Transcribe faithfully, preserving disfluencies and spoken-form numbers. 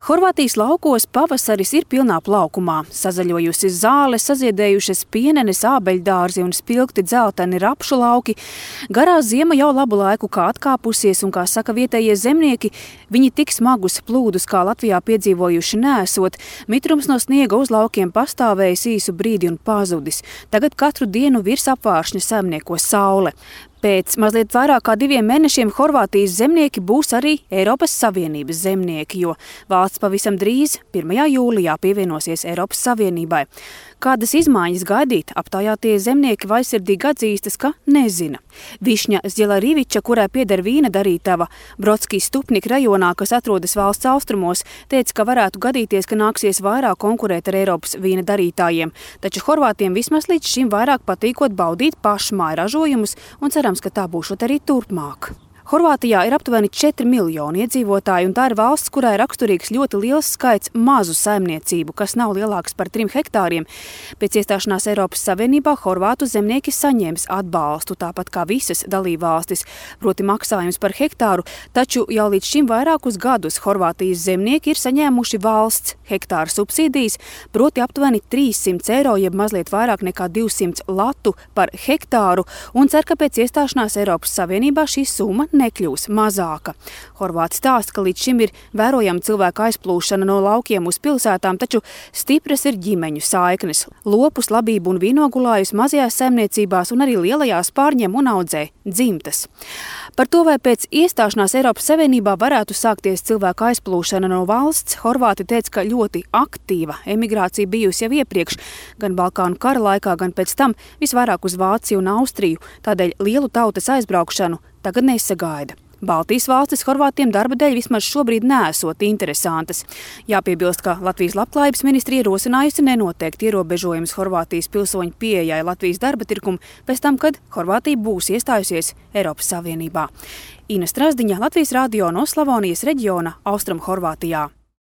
Horvātijas laukos pavasaris ir pilnā plaukumā. Sazaļojusi zāle, saziedējušas pienenes, ābeļdārzi un spilgti dzelteni rapšu lauki. Garā ziema jau labu laiku kā atkāpusies un, kā saka vietējie zemnieki, viņi tik smagus plūdus kā Latvijā piedzīvojuši neesot. Mitrums no sniega uz laukiem pastāvējis īsu brīdi un pazudis. Tagad katru dienu virs apvāršņa saimnieko saule. Pēc mazliet vairāk kā diviem mēnešiem Horvātijas zemnieki būs arī Eiropas Savienības zemnieki, jo valsts pavisam drīz, pirmajā jūlijā, pievienosies Eiropas Savienībai. Kādas izmaiņas gaidīt, aptaujātie zemnieki vaisirdīgi atzīstas, ka nezina. Višņa Zjelariviča, kurai pieder vīna darītava Brodskijas Stupnik rajonā, kas atrodas valsts austrumos, teica, ka varētu gadīties, ka nāksies vairāk konkurēt ar Eiropas vīna darītājiem. Taču horvātiem vismaz līdz šim vairāk patīkot baudīt pašmāju ražojumus un cerams, ka tā būšot arī turpmāk. Horvātijā ir aptuveni četri miljoni iedzīvotāji, un tā ir valsts, kurā ir raksturīgs ļoti liels skaits mazu saimniecību, kas nav lielāks par trim hektāriem. Pēc iestāšanās Eiropas Savienībā horvātu zemnieki saņems atbalstu, tāpat kā visas dalībvalstis, proti maksājums par hektāru, taču jau līdz šim vairākus gadus Horvātijas zemnieki ir saņēmuši valsts hektāra subsīdijas, proti aptuveni trīssimts eiro, jeb mazliet vairāk nekā divsimt latu par hektāru, un cer, ka pēc iestāšanās Eiropas Savienībā šī summa nekļūs mazāka. Horvāti stāsta, ka līdz šim ir vērojama cilvēka aizplūšana no laukiem uz pilsētām, taču stipras ir ģimeņu saiknes. Lopus, labību un vinogulājus mazajās saimniecībās un arī lielajās pārņem un audzē dzimtas. Par to, vai pēc iestāšanās Eiropas Savienībā varētu sākties cilvēka aizplūšana no valsts, horvāti teica, ka ļoti aktīva emigrācija bijusi jau iepriekš, gan Balkānu kara laikā, gan pēc tam visvairāk uz Vāciju un Austriju, tādēļ lielu tautas aizbraukšanu tagad nesagaida. Baltijas valstis Horvātiem darba dēļ vismaz šobrīd neesot interesantas. Jāpiebilst, ka Latvijas labklājības ministrija ierosinājusi nenoteikt ierobežojumus Horvātijas pilsoņu pieejai Latvijas darba tirkumu pēc tam, kad Horvātija būs iestājusies Eiropas Savienībā. Ina Strazdiņa, Latvijas radio no Slavonijas reģiona Austrum Horvātijā.